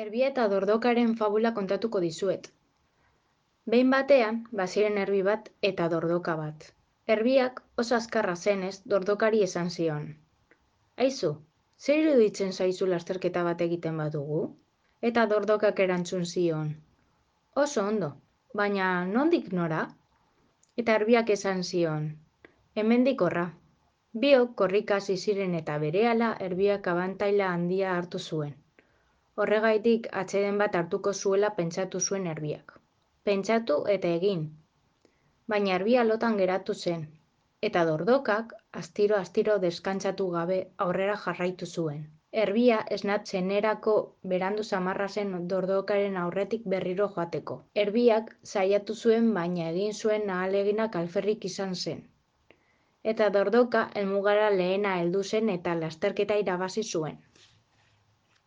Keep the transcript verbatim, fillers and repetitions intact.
Erbia eta Dordokaren fabula kontatuko dizuet. Behin batean, baziren erbi bat eta dordoka bat. Erbiak oso azkarra zenez, Dordokari esan zion. Aizu, zer iruditzen zaizu lasterketa bat egiten badugu? Eta Dordokak erantzun zion. Oso ondo, baina nondik nora? Eta erbiak esan zion. Hemendik horra. Biok korrika hasi ziren eta berehala erbiak abantaila handia hartu zuen. Horregaitik atseden bat hartuko zuela pentsatu zuen erbiak. Pentsatu eta egin. Baina erbia lotan geratu zen, eta Dordokak astiro-astiro deskantsatu gabe aurrera jarraitu zuen. Erbia esnatzenerako berandu samarra zen Dordokaren aurretik berriro joateko. Erbiak saiatu zuen baina egin zuen ahaleginak alferrik izan zen. Eta Dordoka helmugara lehena heldu zen eta lasterketa irabazi zuen.